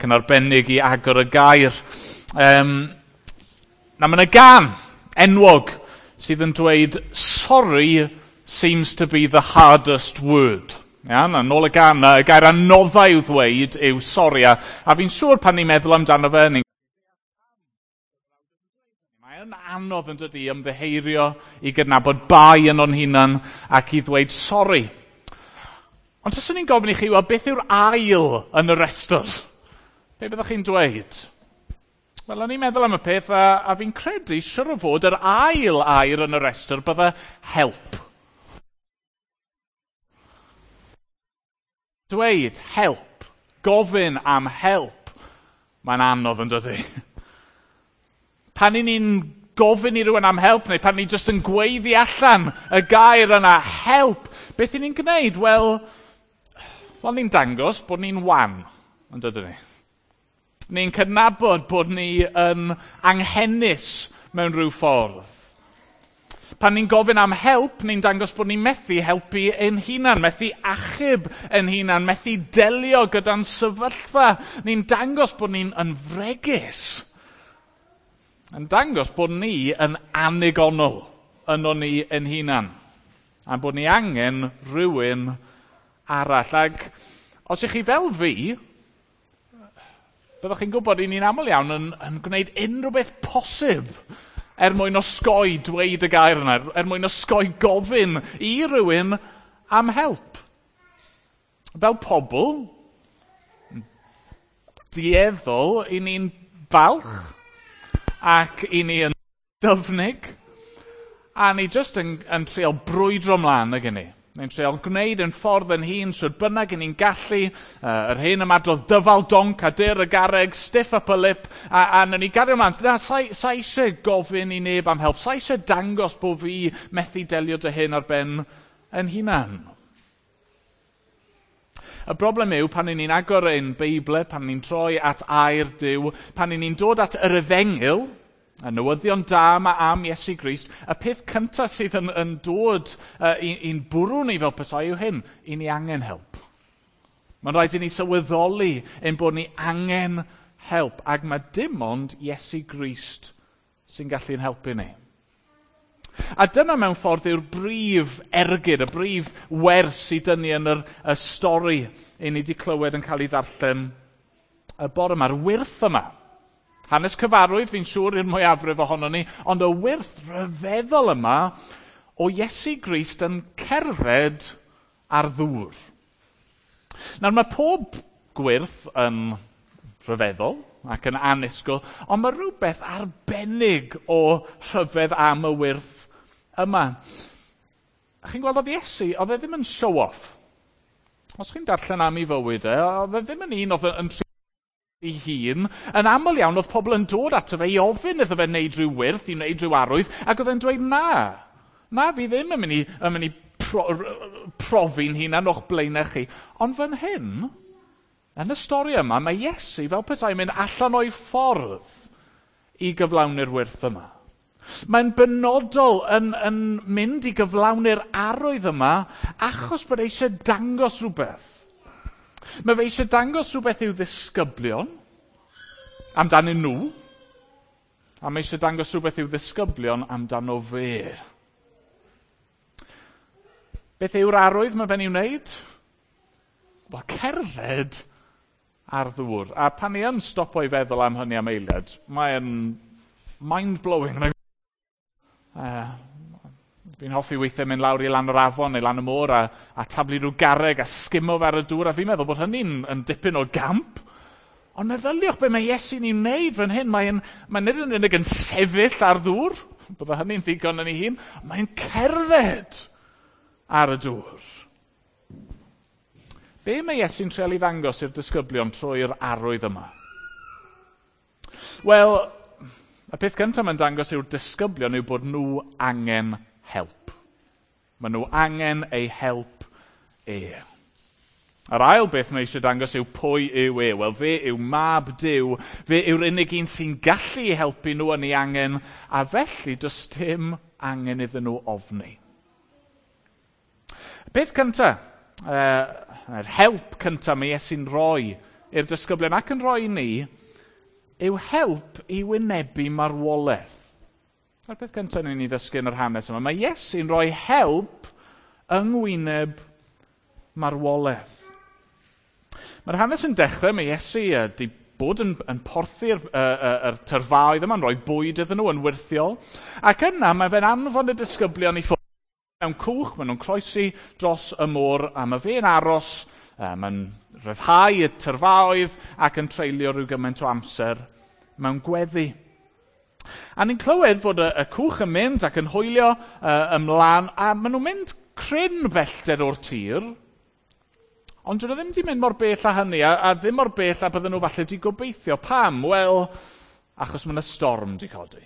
Yn arbennig i agor y gair. Na, mae yna gân enwog sydd yn dweud, "Sorry seems to be the hardest word." Ia, na, nôl y gân, y gair anoddau i'w ddweud yw sori. A fi'n siŵr pan ni'n meddwl amdano fe, ni'n Mae'n anodd yn dydi ymddiheirio i gydnabod bai yn o'n hunan ac i ddweud sori. Ond taswn i'n gofyn i chi, wel, beth yw'r ail yn y restr? Be byddwch chi'n dweud? Wel, o'n i'n meddwl am y peth, a fi'n credu, siwr o fod, yr ail air yn y restr bydde help. Dweud help, gofyn am help, mae'n anodd yn dydi? Pan i ni'n gofyn i rywun am help, neu pan ni'n just yn gweiddi allan y gair yna, help, beth i ni'n gwneud? Wel, ni'n dangos bod ni'n wan, yn dydyn ni? Ni'n cydnabod bod ni yn anghenus mewn rhyw ffordd. Pan ni'n gofyn am help, ni'n dangos bod ni'n methu helpu ein hunan, methu achub ein hunan, methu delio gyda'n sefyllfa. Ni'n dangos bod ni'n yn fregus. Yn dangos bod ni yn anigonol yno ni ein hunan. A bod ni angen rhywun arall. Ac os ych chi fel fi, byddwch chi'n gwybod i ni'n aml iawn yn gwneud unrhyw beth posib er mwyn osgoi dweud y gair yna, er mwyn osgoi gofyn i rywun am help. Fel pobl, dueddol, i ni'n falch ac i ni yn dyfnig, a ni jyst yn treial brwydro mlaen ag ni. Ni'n treial gwneud yn ffordd yn hun, shwd bynnag i ni'n gallu, yr hen ymadrodd dyfal donc a dyr y garreg, stiff upper lip, a nawn ni gario mlaen. Na, sa eisiau gofyn i neb am help, sa eisiau dangos bod fi methu delio dy hyn ar ben yn hunan. Y broblem yw pan ni'n agor ein Beibl, pan ni'n troi at air Duw, pan ni'n dod at yr efengyl, y newyddion da yma am Iesu Grist, y peth cyntaf sydd yn dod i'n bwrw ni fel petai yw hyn, i ni angen help. Mae'n rhaid i ni sylweddoli ein bod ni angen help, ac mae dim ond Iesu Grist sy'n gallu'n helpu ni. A dyna mewn ffordd yw'r brif ergyd, y brif wers i dynnu yn y stori i ni wedi clywed yn cael ei ddarllen y bore yma'r wyrth yma. Hanes cyfarwydd, fi'n siŵr i'r mwyafrif ohono ni, ond y wyrth rhyfeddol yma o Iesu Grist yn cerdded ar ddŵr. Nawr mae pob gwyrth yn rhyfeddol ac yn annisgwyl, ond mae rhywbeth arbennig o rhyfedd am y wyrth yma. A chi'n gweld oedd Iesu, oedd e ddim yn show-off. Os chi'n darllen am ei fywyd e, oedd e ddim yn un oedd yn ei hun. Yn aml iawn oedd pobl yn dod ato fe i ofyn iddo fe wneud rhyw wyrth, i wneud rhyw arwydd, ac oedd e'n dweud na. Na, fi ddim yn mynd i profi'n hunan o'ch blaenau chi. Ond fan hyn, yn y stori yma, mae Iesu fel petai mynd allan o'i ffordd i gyflawni'r wyrth yma. Mae'n benodol yn mynd i gyflawni'r arwydd yma achos bod eisiau dangos rhywbeth. Mae fe eisiau dangos rhywbeth i'w ddisgyblion amdanyn nhw, a mae eisiau dangos rhywbeth i'w ddisgyblion amdano fe. Beth yw'r arwydd mae fe'n ei wneud? Wel, cerdded ar ddŵr. A pan ni yn stopo i feddwl am hynny am eiliad, mae'n mind-blowing. Fi'n hoffi weithiau mynd lawr i lan yr afon neu lan y môr a taflu rhyw garreg a sgimo fe ar y dŵr, a fi'n meddwl bod hynny'n yn dipyn o gamp. Ond meddyliwch be mae Iesu'n ei wneud fan hyn. Mae nid yn unig yn sefyll ar ddŵr, bydde hynny'n ddigon yn ei hun, mae'n cerdded ar y dŵr. Be mae Iesu'n treial i ddangos i'r disgyblion trwy'r arwydd yma? Wel, y peth cyntaf mae'n dangos yw'r disgyblion yw bod nhw angen help. Maen nhw angen ei help e. Yr ail beth mae eisiau dangos yw pwy yw e. Wel, fe yw mab Duw. Fe yw'r unig un sy'n gallu helpu nhw yn ei angen, a felly does dim angen iddyn nhw ofni. Y peth cyntaf, yr help cyntaf mae Iesu'n rhoi i'r disgyblion ac yn rhoi i ni yw help i wynebu marwolaeth. A'r peth cyntaf ni'n ei ddysgu yn yr hanes yma, mae Iesu'n rhoi help yng ngwyneb marwolaeth. Mae'r hanes yn dechrau, mae Iesu wedi bod yn porthu'r tyrfaoedd yma, yn rhoi bwyd iddyn nhw yn wyrthiol. Ac yna mae fe'n anfon y disgyblion i ffwrdd mewn cwch, maen nhw'n croesi dros y môr, a mae fe'n aros, mae'n rhyddhau y tyrfaoedd ac yn treulio rhyw gymaint o amser mewn gweddi. A ni'n clywed fod y cwch yn mynd ac yn hwylio ymlaen, a maen nhw'n mynd cryn bellter o'r tir, ond dyn nhw ddim wedi mynd mor bell â hynny, a ddim mor bell â bydden nhw falle wedi gobeithio. Pam? Wel, achos mae yna storm wedi codi.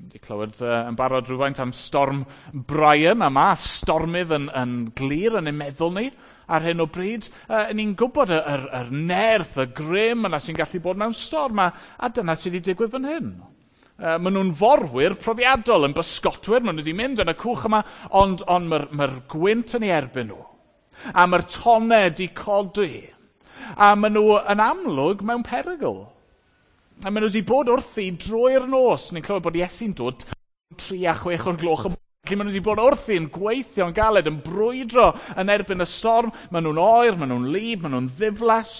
Wedi clywed yn barod rhywfaint am storm Brian, a mae stormydd yn glir yn ein meddwl ni ar hyn o bryd. Ni'n gwybod yr nerth, y grym yna sy'n gallu bod mewn storm, a dyna sydd wedi digwydd fan hyn. Maen nhw'n forwyr profiadol, yn bysgotwyr, maen nhw wedi mynd yn y cwch yma, ond mae'r gwynt yn ei erbyn nhw. A mae'r tonnau wedi codi. A maen nhw yn amlwg mewn perygl. A maen nhw wedi bod wrthi drwy'r nos. Ni'n clywed bod Iesu'n dod 3 a 6 o'r gloch. Felly maen nhw wedi bod wrthi yn gweithio'n galed, yn brwydro yn erbyn y storm. Maen nhw'n oer, maen nhw'n wlyb, maen nhw'n ddiflas.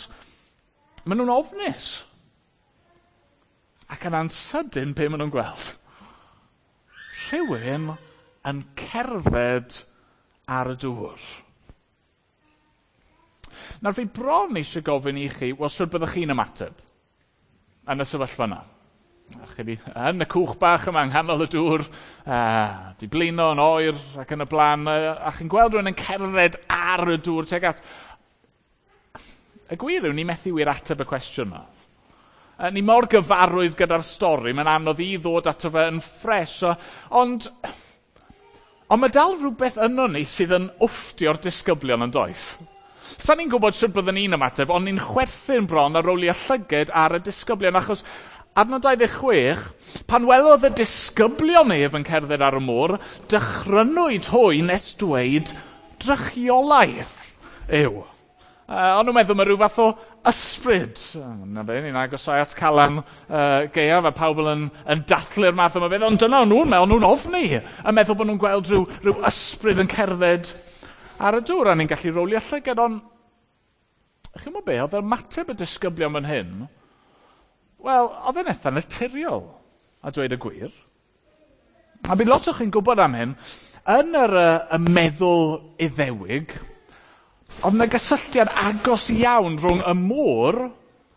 Maen nhw'n ofnus. Ac yna'n sydyn be maen nhw'n gweld? Rhywun yn cerdded ar y dŵr. Nawr fi bron eisiau gofyn i chi, wel, sut byddwch chi'n ymateb yn y sefyllfa yna? Chi di, yn y cwch bach yma yng nghanol y dŵr, di blino yn oer ac yn y blaen, a chi'n gweld rhywun yn cerdded ar y dŵr tuag at. Y gwir yw, ni methu wir ateb y cwestiwn yma. Ni mor gyfarwydd gyda'r stori, mae'n anodd i ddod ato fe yn ffres, ond mae dal rhywbeth yno ni sydd yn wfftio'r disgyblion yn does. Sa ni'n gwybod sut byddwn ni'n ymateb, ond ni'n chwerthin bron ar rowlio llyged ar y disgyblion, achos adnod 26, pan welodd y disgyblion ef yn cerdded ar y môr, dychrynwyd hwy nes dweud drychiolaeth yw. O'n nhw'n meddwl mae rhyw fath o ysbryd. Na fe, ni'n agosau at Calan Gaeaf a pawb yn dathlu'r math yma beth, ond dyna o'n nhw'n meddwl, nhw'n ofni, yn meddwl bod nhw'n gweld rhyw ysbryd yn cerdded ar y dŵr, a ni'n gallu rowlio llygad, ond chi'n gwybod be, oedd ymateb y disgyblion fan hyn, wel, oedd e'n eitha naturiol, a dweud y gwir. A bydd lot o chi'n gwybod am hyn, yn yr y meddwl Iddewig, oedd yna gysylltiad agos iawn rhwng y môr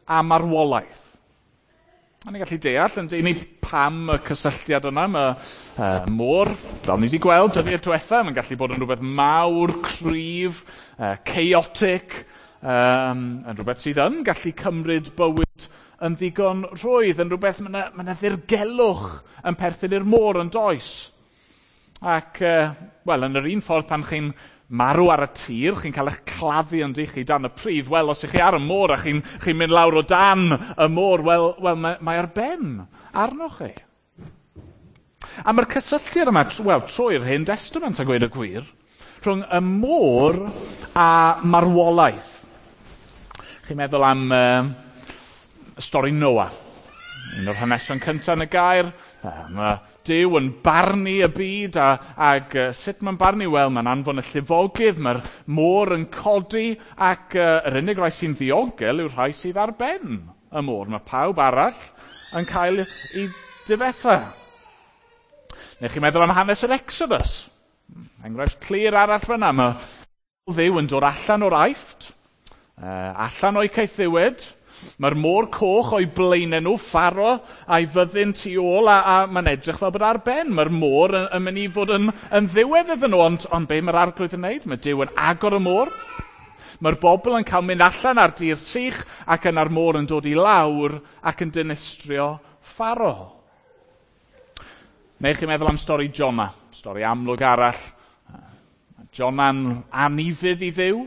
a marwolaeth. A ni'n gallu deall yn ni pam y cysylltiad yna, mae môr, fel ni wedi gweld dyddiau diwetha, mae'n gallu bod yn rhywbeth mawr, cryf, chaotic, yn rhywbeth sydd yn gallu cymryd bywyd yn ddigon rhwydd, yn rhywbeth mae yna ddirgelwch yn perthyn i'r môr yn does. Ac, wel, yn yr un ffordd pan chi'n marw ar y tir, chi'n cael eich claddu yn chi dan y pridd, wel, os ych chi ar y môr a chi'n mynd lawr o dan y môr, wel mae ar ben arnoch chi. A mae'r cysylltiad yma, wel, trwy'r Hen Testament a gweud y gwir, rhwng y môr a marwolaeth. Chi'n meddwl am stori Noah. Un o'r hanesion cyntaf yn y gair, mae Duw yn barnu y byd, ag sut mae'n barnu? Wel, mae'n anfon y llifogydd, mae'r môr yn codi, ac yr unig rai sy'n ddiogel yw'r rhai sydd ar ben y môr. Mae pawb arall yn cael ei difetha. Neu chi'n meddwl am hanes yr Exodus? Enghraifft clir arall fyna. Mae Dduw yn dod allan o'r Aifft, allan o'i caethiwed. Mae'r môr coch o'i blaenau nhw, Pharo a'i fyddin tu ôl, a mae'n edrych fel bod ar ben. Mae'r môr yn mynd i fod yn ddiwedd iddyn nhw, ond be mae'r Arglwydd yn wneud? Mae Duw yn agor y môr. Mae'r bobl yn cael mynd allan ar dir sych ac yna'r môr yn dod i lawr ac yn dinistrio Pharo. Neu chi'n meddwl am stori Jonah, stori amlwg arall. Jonah'n anufudd i Dduw.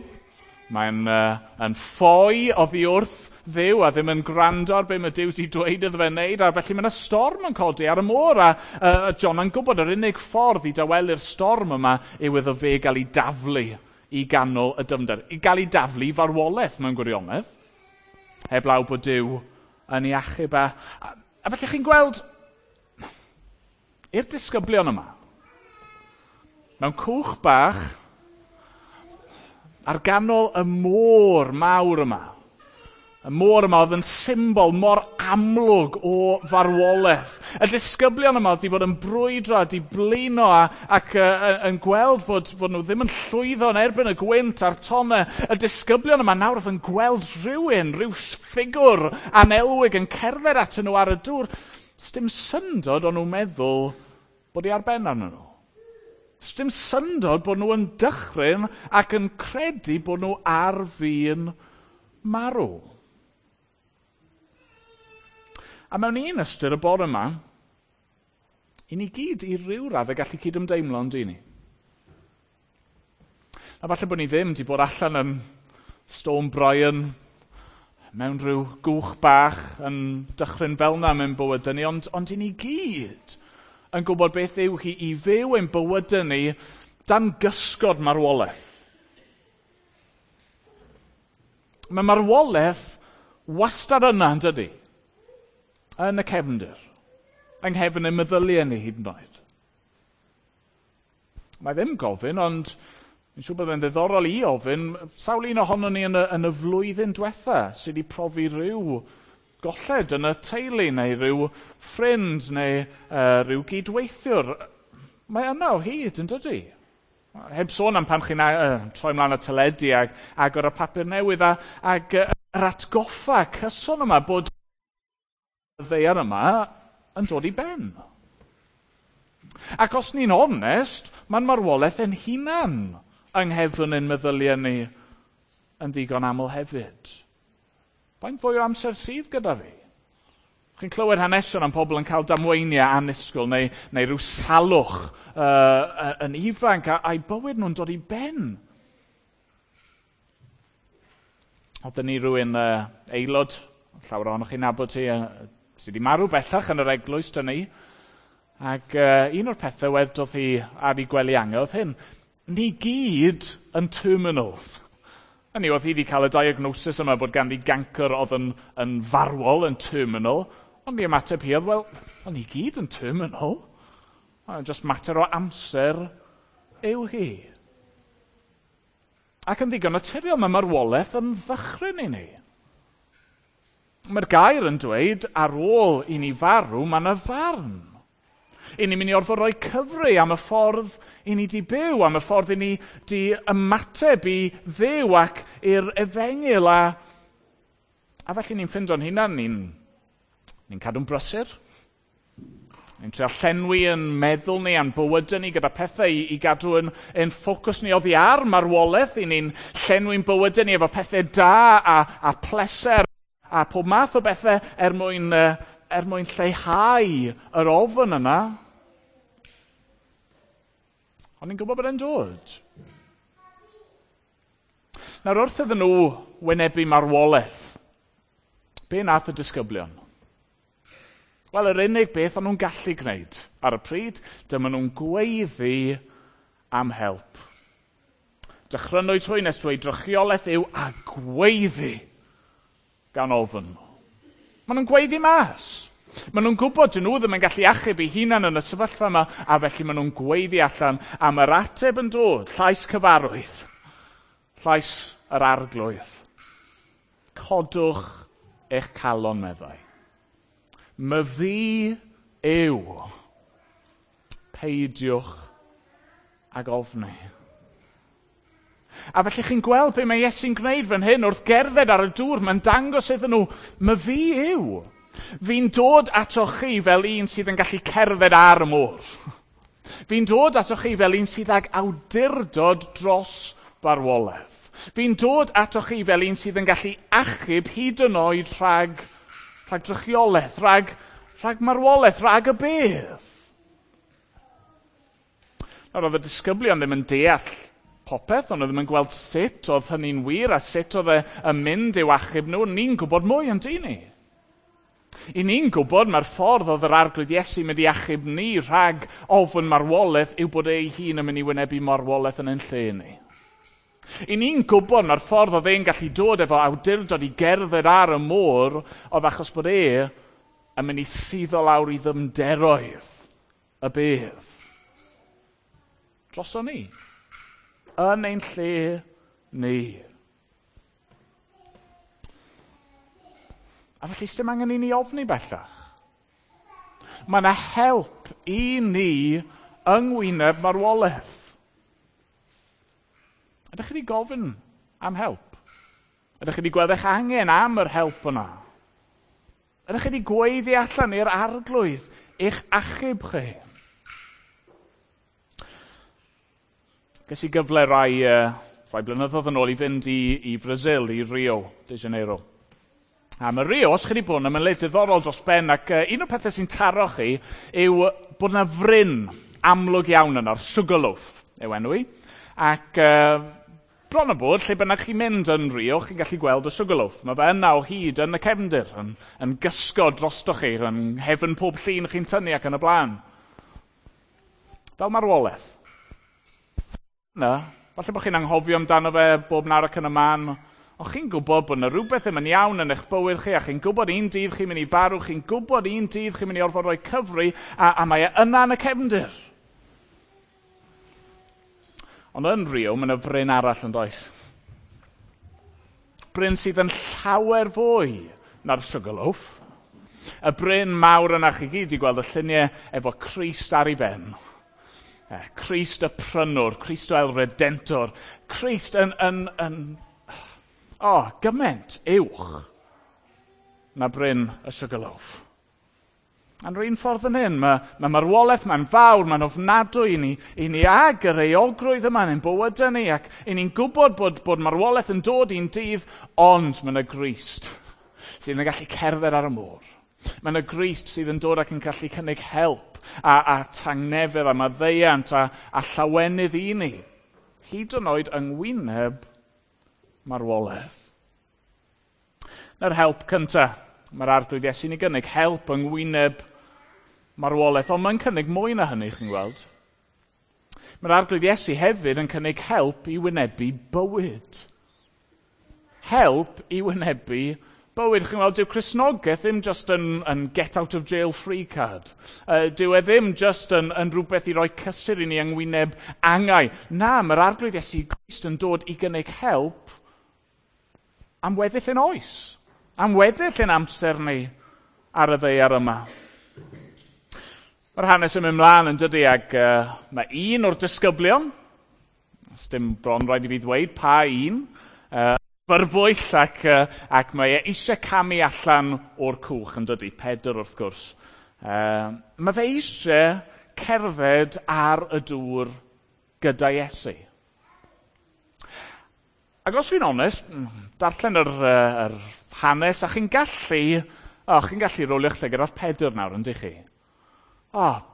Mae'n yn ffoi oddi wrth Dduw a ddim yn gwrando ar be mae Duw wedi dweud iddo fe wneud, a felly mae yna storm yn codi ar y môr, a Jonah'n gwybod yr unig ffordd i dawelu'r storm yma yw iddo fe gael ei daflu i ganol y dyfnder, i gael ei daflu i farwolaeth mewn gwirionedd. Heblaw bod Duw yn ei achub. A felly chi'n gweld, i'r disgyblion yma, mewn cwch bach, ar ganol y môr mawr yma, y môr yma oedd yn symbol mor amlwg o farwolaeth. Y disgyblion yma oedd wedi bod yn brwydro, wedi blino ac yn gweld fod nhw ddim yn llwyddo yn erbyn y gwynt a'r tonnau. Y disgyblion yma nawr oedd yn gweld rhywun, rhyw ffigwr anelwig yn cerdded atyn nhw ar y dŵr. Sdim syndod o'n nhw'n meddwl bod hi ar ben arnyn nhw. Sdim syndod bod nhw yn dychryn ac yn credu bod nhw ar fin marw. A mewn un ystyr y bore yma, i ni gyd i ryw raddau gallu cydymdeimlo yn dyn ni. A falle bod ni ddim wedi bod allan yn Storm Brian, mewn rhyw gwch bach yn dychryn fel yna mewn bywydau ni, ond i ni gyd yn gwybod beth yw hi i fyw ein bywydau ni dan gysgod marwolaeth. Mae marwolaeth wastad yna, yn dydi? Yn y cefndir, yng nghefn y meddyliau ni hyd yn oed. Mae ddim gofyn, ond fi'n siŵr bod e'n ddiddorol i ofyn, sawl un ohonon ni yn y flwyddyn diwetha sydd wedi profi rhyw golled yn y teulu neu rhyw ffrind neu rhyw gydweithiwr. Mae yna o hyd, yn dydi? Heb sôn am pan chi'n troi mlaen y teledu ag agor y papur newydd ag yr atgoffa cyson yma bod y ddaear yma yn dod i ben. Ac os ni'n onest, mae'n marwolaeth yn hunan yng nghefn ein meddyliau ni yn ddigon aml hefyd. Faint fwy o amser sydd gyda fi? Chi'n clywed hanesion am pobl yn cael damweiniau annisgwyl neu rhyw salwch yn ifanc a'i bywyd nhw'n dod i ben. Oedden ni rhywun aelod, llawer ohonoch chi'n nabod hi, sydd wedi marw bellach yn yr eglwys dyn ni. Ac un o'r pethau wedodd hi ar ei gwely angau oedd hyn, ni gyd yn terminal. Hynny oedd hi wedi cael y diagnosis yma bod ganddi gancr oedd yn farwol, yn terminal, ond i ymateb hi oedd, wel, ond ni gyd yn terminal. Just mater o amser yw hi. Ac yn ddigon naturiol, mae marwolaeth yn ddychryn i ni. Mae'r gair yn dweud, ar ôl i ni farw, mae yna farn. I ni'n mynd i orfod rhoi cyfri am y ffordd i ni di byw, am y ffordd i ni di ymateb i Dduw ac i'r efengyl. A felly ni'n ffindo'n hunan, ni'n cadw'n brysur. Ni'n trio llenwi yn meddwl ni a'n bywydau ni gyda pethau i gadw yn ffocws ni oddi ar marwolaeth. I ni'n llenwi'n bywydau ni efo pethau da a pleser a pob math o bethau er mwyn lleihau yr ofn yna. Ond ni'n gwybod bod e'n dod. Nawr wrth iddyn nhw wynebu marwolaeth, be nath y disgyblion? Wel, yr unig beth o'n nhw'n gallu gwneud ar y pryd, dyma nhw'n gweiddi am help. Dychrynwyd hwy nes dweud drychiolaeth yw a gweiddi gan ofn. Maen nhw'n gweiddi mas. Maen nhw'n gwybod dyn nhw ddim yn gallu achub eu hunan yn y sefyllfa yma, a felly maen nhw'n gweiddi allan am yr ateb yn dod, llais cyfarwydd, llais yr arglwydd. Codwch eich calon, meddai. Myfi yw, peidiwch ag ofni. A felly chi'n gweld be mae Iesu'n gwneud fan hyn wrth gerdded ar y dŵr, mae'n dangos iddyn nhw, myfi yw. Fi'n dod atoch chi fel un sydd yn gallu cerdded ar y môr. Fi'n dod atoch chi fel un sydd ag awdurdod dros farwolaeth. Fi'n dod atoch chi fel un sydd yn gallu achub hyd yn oed rhag drychiolaeth, rhag marwolaeth, rhag y bedd. Nawr, oedd y disgyblion ddim yn deall popeth, ond oedd ddim yn gweld sut oedd hynny'n wir a sut oedd e yn mynd i'w achub nhw. Ni'n gwybod mwy yn dyn ni. I ni'n gwybod mae'r ffordd oedd yr arglwydd Iesu mynd i achub ni rhag ofn marwolaeth yw bod ei hun yn mynd i wynebu marwolaeth yn ein lle ni. I ni'n gwybod mae'r ffordd oedd e'n gallu dod efo awdurdod i gerdded ar y môr oedd achos bod e yn mynd i suddo lawr i ddymderoedd y bedd. Droso ni. Yn ein lle ni. A felly sdim angen i ni ofni bellach. Mae yna help i ni yng ngwyneb marwolaeth. Ydych chi wedi gofyn am help? Ydych chi wedi gweld eich angen am yr help yna? Ydych chi wedi gweiddi allan i'r Arglwydd eich achub chi? Ges i gyfle rai blynyddoedd yn ôl i fynd i Brazil, i Rio de Janeiro. A mae Rio, os chi wedi bod yna, mae'n le diddorol dros ben, ac un o'r pethau sy'n taro chi yw bod yna fryn amlwg iawn yno'r Sugarloaf yw enw i. Ac bron o bod, lle bynnag chi'n mynd yn Rio, chi'n gallu gweld y Sugarloaf. Mae fe yna o hyd yn y cefndir, yn gysgod drostoch chi, yn hefn pob llun chi'n tynnu ac yn y blaen. Fel marwolaeth. Na, falle bod chi'n anghofio amdano fe bob nawr ac yn y man, ond chi'n gwybod bod yna rhywbeth ddim yn iawn yn eich bywyd chi, a chi'n gwybod un dydd chi'n mynd i farw, chi'n gwybod un dydd chi'n mynd i orfod rhoi cyfri, a mae e yna yn y cefndir. Ond yn Rio, mae yna fryn arall yn does. Bryn sydd yn llawer fwy na'r Sugarloaf. Y bryn mawr yna chi gyd i gweld y lluniau efo Crist ar ei ben. Crist y prynwr, Cristo el Redentor. Crist yn gymaint uwch na bryn y Sugarloaf. A'n rhan ffordd yn hyn, mae marwolaeth, mae'n fawr, mae'n ofnadwy i ni ag yr euogrwydd yma yn ein bywydau ni, ac i ni'n gwybod bod marwolaeth yn dod i'n dydd, ond mae yna Grist sydd yn gallu cerdded ar y môr. Mae yna Grist sydd yn dod ac yn gallu cynnig help a tangnefedd a maddeuant a llawenydd i ni, hyd yn oed yng ngwyneb marwolaeth. Na'r help cyntaf. Mae'r Arglwydd Iesu'n ei gynnig help yng ngwyneb marwolaeth, ond mae'n cynnig mwy na hynny, chi'n gweld. Mae'r Arglwydd Iesu hefyd yn cynnig help i wynebu bywyd. Help i wynebu bywyd. Chi'n gweld, dyw Cristnogaeth ddim just yn get out of jail free card. Dyw e ddim just yn rhywbeth i roi cysur i ni yng ngwyneb angau. Na, mae'r Arglwydd Iesu Grist yn dod i gynnig help am weddill ein oes. Am weddill ein amser ni ar y ddaear yma. Mae'r hanes yn mynd mlaen yn dydy, ac mae un o'r disgyblion, dim bron rhaid i fi ddweud pa un, byrbwyll ac mae e eisiau camu allan o'r cwch yn dydy, Pedr wrth gwrs. Mae fe eisiau cerdded ar y dŵr gyda Iesu. Ac os fi'n onest, darllen yr hanes, a chi'n gallu rolio'ch llygad ar Pedr nawr, yndych chi?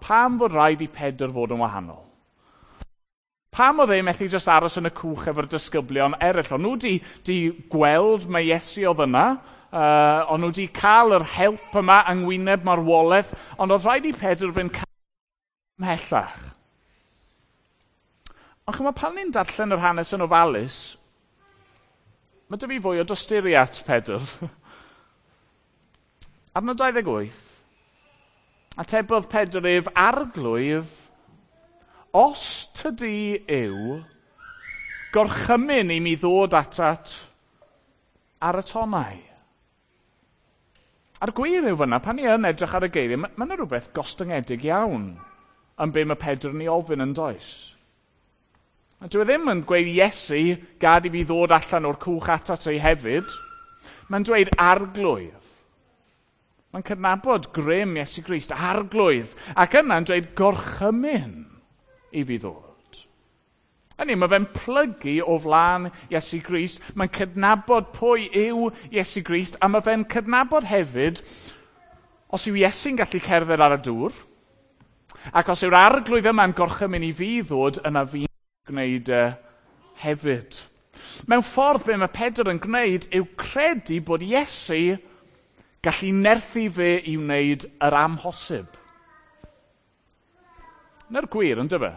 Pam fod rhaid i Pedr fod yn wahanol? Pam oedd e methu jyst aros yn y cwch efo'r disgyblion eraill? O'n nhw di gweld mae Iesu oedd yna, o'n nhw di cael yr help yma yng ngwyneb marwolaeth, ond oedd rhaid i Pedr fynd ymhellach. Ond chymod, pan ni'n darllen yr hanes yn ofalus, mae dy fi fwy o dosturi at Pedr. Adnod 28, atebodd Pedr ef, Arglwydd, os tydi yw, gorchymyn i mi ddod atat ar y tonnau. A'r gwir yw fyna, pan ni yn edrych ar y geiriau, mae yna rhywbeth gostyngedig iawn yn be mae Pedr yn ei ofyn yn does. A dyw e ddim yn gweud Iesu, gad i fi ddod allan o'r cwch atat ti hefyd. Mae'n dweud Arglwydd. Mae'n cydnabod grym Iesu Grist, Arglwydd. Ac yna'n dweud gorchymyn i fi ddod. Hynny, mae fe'n plygu o flaen Iesu Grist. Mae'n cydnabod pwy yw Iesu Grist, a mae fe'n cydnabod hefyd, os yw Iesu'n gallu cerdded ar y dŵr, ac os yw'r Arglwydd yma'n gorchymyn i fi ddod, yna fi'n gwneud hefyd. Mewn ffordd, be mae Pedr yn gwneud yw credu bod Iesu gallu nerthu fe i wneud yr amhosib. Na'r gwir, ynddo fe?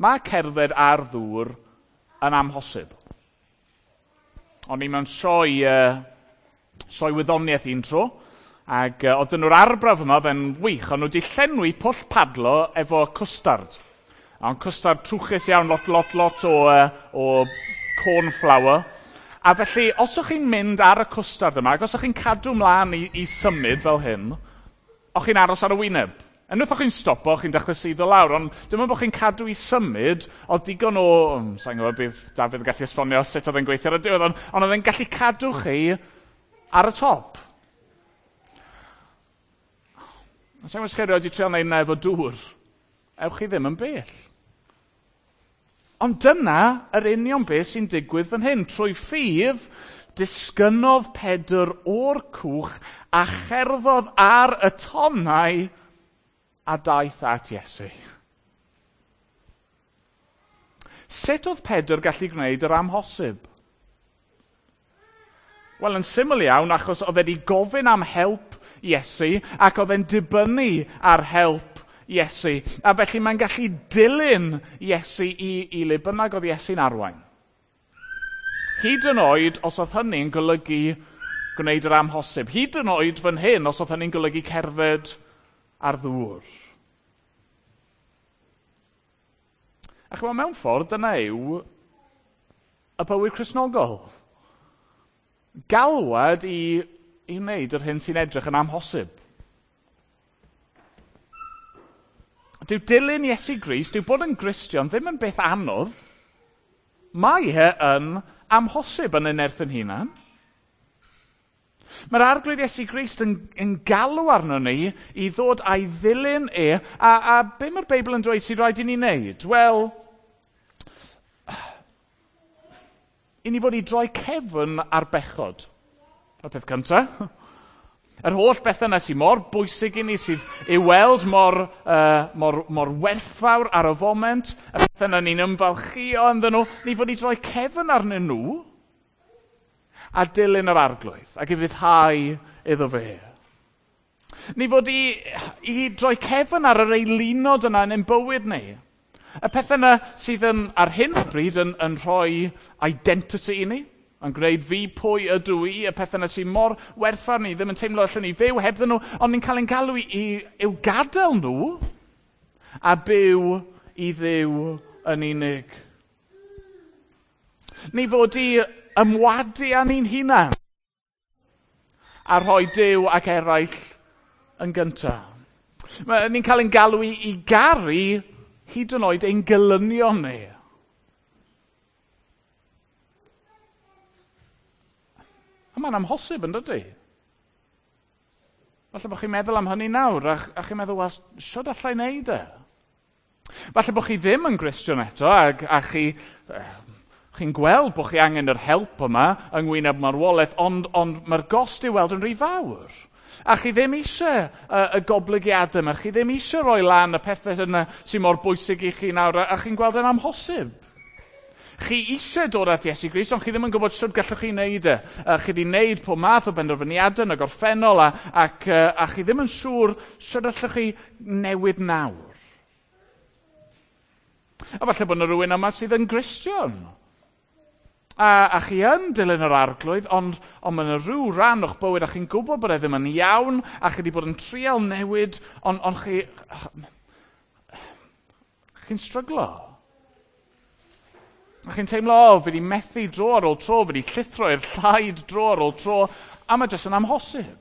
Mae cerdded ar ddŵr yn amhosib. O'n i mewn sioe wyddoniaeth un tro, ac oedd nhw'r arbrawf yma, oedd e'n wych, ond nhw wedi llenwi pwll padlo efo cwstard. Ond cwstard trwchus iawn, lot, lot, lot o corn flour. A felly, os o'ch chi'n mynd ar y cwstard yma, ac os o'ch chi'n cadw mlaen i symud fel hyn, o'ch chi'n aros ar y wyneb. Unwaith o'ch chi'n stopo, chi'n dechrau suddo lawr, ond dim ond bod chi'n cadw i symud, oedd digon o... Sa'n gwybod bydd Dafydd yn gallu esbonio sut oedd e'n gweithio ar y diwedd, ond oedd e'n gallu cadw chi ar y top. Sa'n gwybod os chi erioed 'di treial wneud 'na efo dŵr. Ewch chi ddim yn bell. Ond dyna yr union beth sy'n digwydd fan hyn. Trwy ffydd, disgynnodd Pedr o'r cwch a cherddodd ar y tonnau a daeth at Iesu. Sut oedd Pedr gallu gwneud yr amhosib? Wel, yn syml iawn, achos oedd e wedi gofyn am help Iesu ac oedd e'n dibynnu ar help Iesu. A felly mae'n gallu dilyn Iesu i le bynnag oedd Iesu'n arwain. Hyd yn oed os oedd hynny'n golygu gwneud yr amhosib. Hyd yn oed fan hyn os oedd hynny'n golygu cerdded ar ddŵr. A chymod, mewn ffordd, dyna yw y bywyd Cristnogol. Galwad i wneud yr hyn sy'n edrych yn amhosib. Dyw dilyn Iesu Grist, dyw bod yn Gristion ddim yn beth anodd. Mae e yn amhosib yn ei nerth yn hunan. Mae'r Arglwydd Iesu Grist yn galw arno ni i ddod a'i ddilyn e, a be mae'r Beibl yn dweud sy'n rhaid i ni wneud? Wel, i ni fod i droi cefn ar bechod. Y peth cyntaf. Yr holl bethau yna sy'n mor bwysig i ni, sydd i weld mor werthfawr ar y foment, y pethau yna ni'n ymfalchio ynddyn nhw, ni fod i droi cefn arnyn nhw a dilyn yr Arglwydd ac i fuddhau iddo fe. Ni fod i droi cefn ar yr eilunod yna yn ein bywyd ni. Y pethau yna sydd yn, ar hyn o bryd yn rhoi identity i ni, yn gwneud fi pwy ydw i, y pethau yna sy'n mor werthfawr ni, ddim yn teimlo allan ni fyw hebddyn nhw, ond ni'n cael ein galw i'w gadael nhw a byw i Dduw yn unig. Ni fod i ymwadu â ni'n hunan a rhoi Duw ac eraill yn gyntaf. Ni'n cael ein galw i garu hyd yn oed ein gelynion ni. A mae'n amhosib, yn dydy? Falle bod chi'n meddwl am hynny nawr, a chi'n meddwl, wel, sut allai wneud e? Falle bod chi ddim yn Gristion eto, a chi'n gweld bod chi angen yr help yma yng ngwyneb marwolaeth, ond mae'r gost i'w weld yn rhy fawr. A chi ddim eisiau y goblygiadau yma, chi ddim eisiau rhoi lan y pethau yna sy'n mor bwysig i chi nawr, a chi'n gweld yn amhosib. Chi eisiau dod at Iesu Grist, ond chi ddim yn gwybod sut gallwch chi wneud e. Chi wedi wneud pob math o benderfyniadau yn y gorffennol, a chi ddim yn siŵr sut allwch chi newid nawr. A falle bod yna rhywun yma sydd yn Gristion. A chi yn dilyn yr Arglwydd, ond mae yna rhyw ran o'ch bywyd a chi'n gwybod bod e ddim yn iawn, a chi wedi bod yn trial newid, ond chi'n stryglo. A chi'n teimlo, o, fi wedi methu dro ar ôl tro, fi wedi llithro i'r llaid dro ar ôl tro, a mae jyst yn amhosib.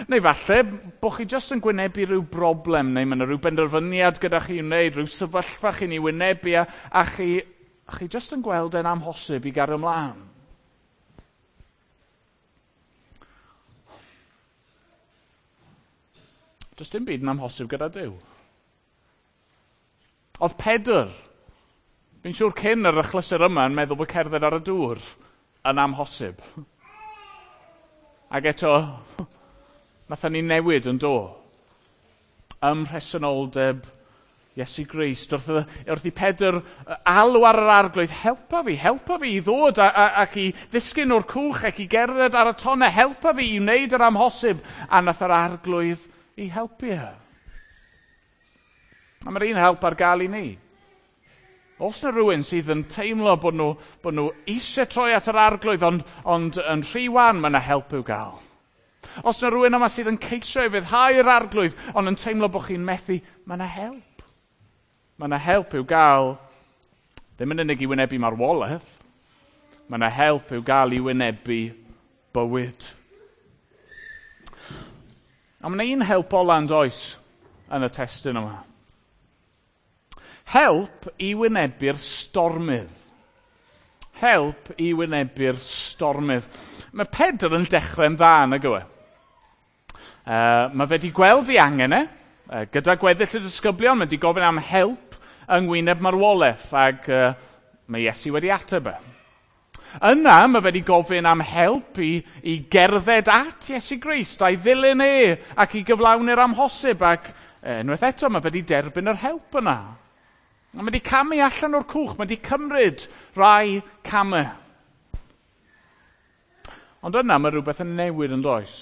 Neu falle bod chi jyst yn gwynebu rhyw broblem, neu mae yna rhyw benderfyniad gyda chi i'w wneud, rhyw sefyllfa chi'n ei wynebu, a chi jyst yn gweld e'n amhosib i gario ymlaen. Does dim byd yn amhosib gyda Duw. Oedd Pedr, fi'n siŵr cyn yr achlysur yma, yn meddwl bod cerdded ar y dŵr yn amhosib. Ac eto, nathon ni newid yn do. Ym mhresenoldeb Iesu Grist. Wrth i Pedr alw ar yr Arglwydd, helpa fi i ddod ac i ddisgyn o'r cwch ac i gerdded ar y tonnau, helpa fi i wneud yr amhosib. A nath yr Arglwydd i helpu e. A mae'r un help ar gael i ni. Os yna rhywun sydd yn teimlo bod nhw eisiau troi at yr Arglwydd, ond yn rhy wan, mae yna help i'w gael. Os yna rhywun yma sydd yn ceisio i fyddhau'r Arglwydd, ond yn teimlo bod chi'n methu, mae yna help. Mae yna help i'w gael, ddim yn unig i wynebu marwolaeth, mae yna help i'w gael i wynebu bywyd. A mae yna un help ola yn does yn y testun yma. Help i wynebu'r stormydd. Help i wynebu'r stormydd. Mae Pedr yn dechrau'n dda, nag yw e? Mae fe wedi gweld ei angen e, gyda gweddill y disgyblion, mae wedi gofyn am help yng ngwyneb marwolaeth, ac mae Iesu wedi ateb e. Yna, mae fe wedi gofyn am help i gerdded at Iesu Grist, a'i ddilyn e, ac i gyflawni'r amhosib, ac unwaith eto, mae fe wedi derbyn yr help yna. A mae wedi camu allan o'r cwch, mae wedi cymryd rai camau. Ond yna mae rhywbeth yn newid yn does.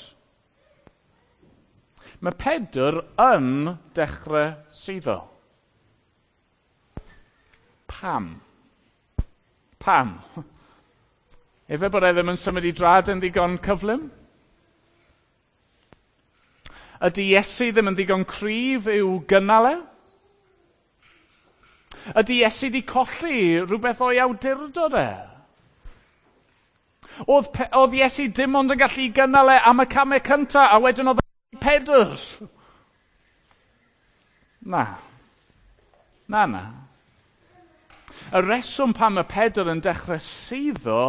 Mae Pedr yn dechrau suddo. Pam? Pam? Efe bod e ddim yn symud i drad yn ddigon cyflym? Ydy Iesu ddim yn ddigon cryf i'w gynnal e? Ydy Iesu wedi colli rhywbeth o'i awdurdod e? Oedd Iesu dim ond yn gallu gynnal e am y camau cyntaf, a wedyn oedd Pedr? Na. Na, na. Y reswm pam y Pedr yn dechrau suddo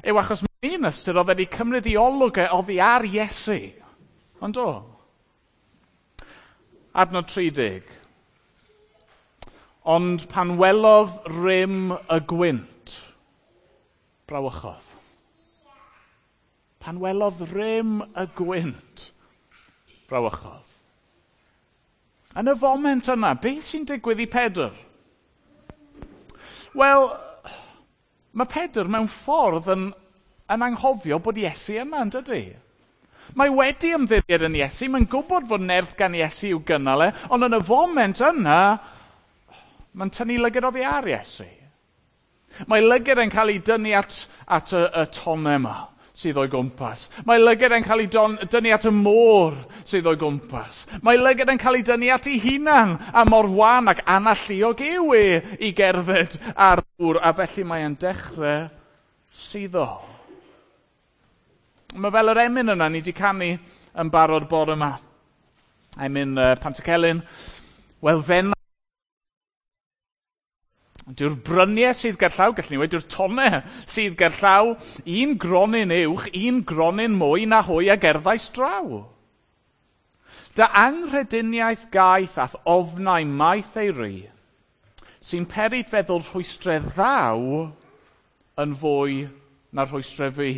yw achos mewn un ystyr oedd wedi cymryd ei olwg e oddi ar Iesu. Ond o. Adnod 30. Ond pan welodd rym y gwynt, brawychodd. Pan welodd rym y gwynt, brawychodd. Yn y foment yna, beth sy'n digwydd i Pedr? Wel, mae Pedr mewn ffordd yn anghofio bod Iesu yma, yn dydy? Mae wedi ymddiried yn Iesu, mae'n gwybod fod nerth gan Iesu i'w gynnal e, ond yn y foment yna, mae'n tynnu lygad oddi ar Iesu. Mae lygad yn cael ei dynnu at y tonnau yma sydd o'i gwmpas. Mae lygad yn cael ei dynnu at y môr sydd o'i gwmpas. Mae lygad yn cael ei dynnu at ei hunan, a mor wan ac analluog yw e i gerdded ar ddŵr, a felly mae'n dechrau suddo. Mae fel yr emyn yna ni wedi canu yn barod bore yma. Emyn Pantycelyn. Wel, fen Dyw'r bryniau sydd gerllaw, gallwn ni weud, dyw'r tonnau sydd gerllaw, un gronyn uwch, un gronyn mwy na hwy a gerddais draw. Dy anghrediniaeth gaeth ath ofnau maith ei ry, sy'n peri feddwl rhwystrau ddaw yn fwy na rhwystrau fi.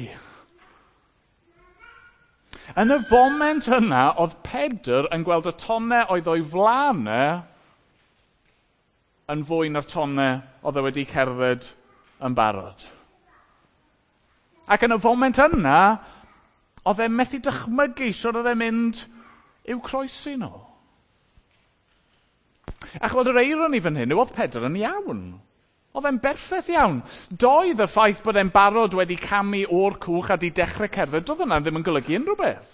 Yn y foment yna, oedd Pedr yn gweld y tonnau oedd o'i flaen e yn fwy na'r tonnau oedd e wedi cerdded yn barod. Ac yn y foment yna, oedd e methu dychmygu sut oedd e'n mynd i'w croesi nhw. A ch'mod, yr eironi fan hyn yw oedd Pedr yn iawn. Oedd e'n berffaith iawn. Doedd y ffaith bod e'n barod wedi camu o'r cwch a di dechrau cerdded, doedd hwnna ddim yn golygu unrhyw beth.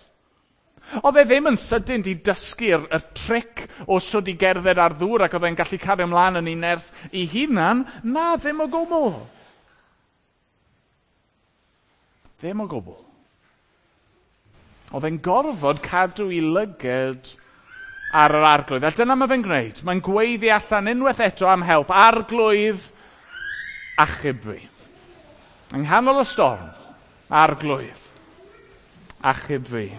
Oedd e ddim yn sydyn di dysgu'r y tric o sut i gerdded ar ddŵr ac oedd e'n gallu cario ymlaen yn ei nerth ei hunan. Na, ddim o gwbl. Ddim o gwbl. Oedd e'n gorfod cadw ei lyged ar yr Arglwydd. A dyna mae fe'n gwneud. Mae'n gweiddi allan unwaith eto am help. Arglwydd, achub fi. Yng nghanol y storm, Arglwydd, achub fi.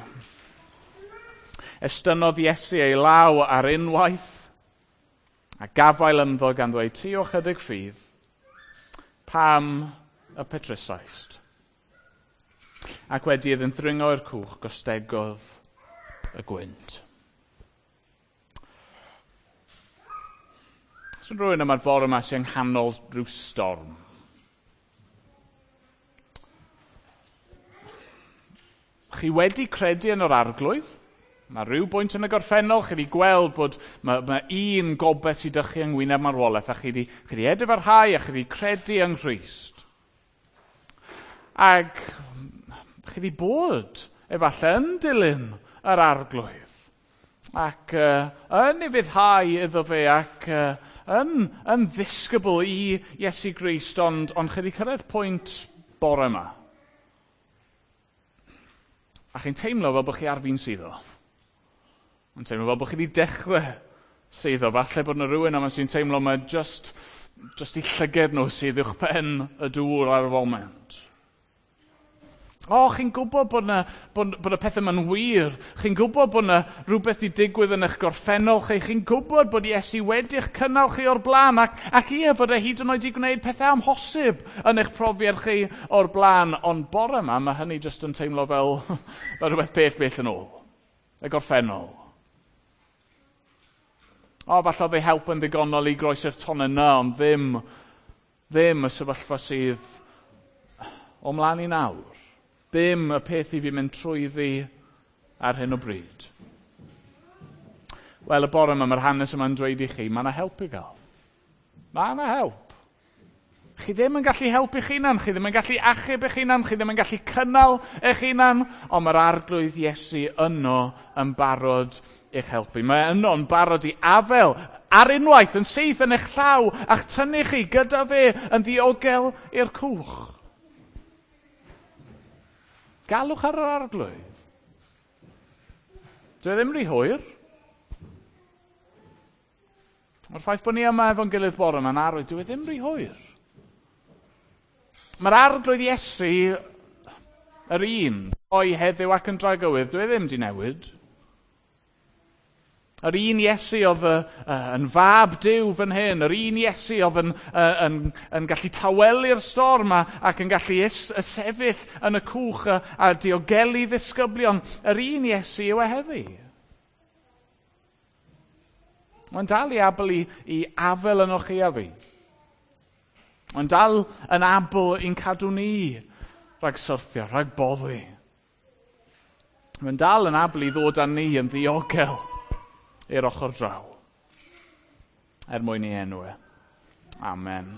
Estynnodd Iesu ei law ar unwaith a gafael ynddo gan ddweud, ti o chydig ffydd, pam y petrusaist? Ac wedi iddynt ddringo i'r cwch, gostegodd y gwynt. Os yw rhywun yma'r bore yma sy'n nghanol rhyw storm, chi wedi credu yn yr Arglwydd? Mae rhyw bwynt yn y gorffennol, chi wedi gweld bod mae un gobaith sydd â chi yng ngwyneb marwolaeth, a chi wedi edifarhau a chi wedi credu yng Nghrist. Ac chi wedi bod efallai yn dilyn yr Arglwydd ac yn ufuddhau iddo fe ac yn ddisgybl i Iesu Grist, ond chi wedi cyrraedd pwynt bore yma. A chi'n teimlo fel bod chi ar fin suddo. Yn teimlo fel bod chi wedi dechrau suddo. Falle bod yna rhywun yma sy'n teimlo mae just i llyged nhw sydd uwch pen y dŵr ar y foment. O, chi'n gwybod bod y pethau yma'n wir. Chi'n gwybod bod yna rhywbeth i digwydd yn eich gorffennol chi. Chi'n gwybod bod Iesu wedi'ch cynnal chi o'r blaen ac ie, fod e hyd yn oed i gwneud pethau amhosib yn eich profiad chi o'r blaen. Ond bore yma, mae hynny jyst yn teimlo fel rhywbeth bell yn ôl. Y gorffennol. O, falle oedd ei help yn ddigonol i groesi'r tonnau yna, ond ddim y sefyllfa sydd o mlaen i nawr. Ddim y peth i fi mynd trwyddi ar hyn o bryd. Wel, y bore yma, mae'r hanes yma'n dweud i chi, mae yna help i gael. Mae yna help. Chi ddim yn gallu helpu eich hunan, chi ddim yn gallu achub eich hunan, chi ddim yn gallu cynnal eich hunan, ond mae'r Arglwydd Iesu yno yn barod i'ch helpu. Mae yno yn barod i afel ar unwaith yn syth yn eich llaw a'ch tynnu chi gyda fe yn ddiogel i'r cwch. Galwch ar yr Arglwydd. Dwi ddim rhy hwyr. Mae'r ffaith bod ni yma efo'n gilydd bore yma'n arwydd, dwi ddim rhy hwyr. Mae'r Arglwydd Iesu, yr un, o'i heddiw ac yn dragywydd, dwi ddim di newid. Yr un Iesu oedd yn fab Duw fan hyn, yr un Iesu oedd yn gallu tawelu'r storm ac yn gallu sefyll yn y cwch a diogelu ddisgyblion, yr un Iesu yw e heddi. Mae'n dal i abl i afel yno chi a fi. Mae'n dal yn abl i'n cadw ni rhag syrthio, rhag boddi. Mae'n dal yn abl i ddod â ni yn ddiogel i'r ochr draw, er mwyn i enw e. Amen.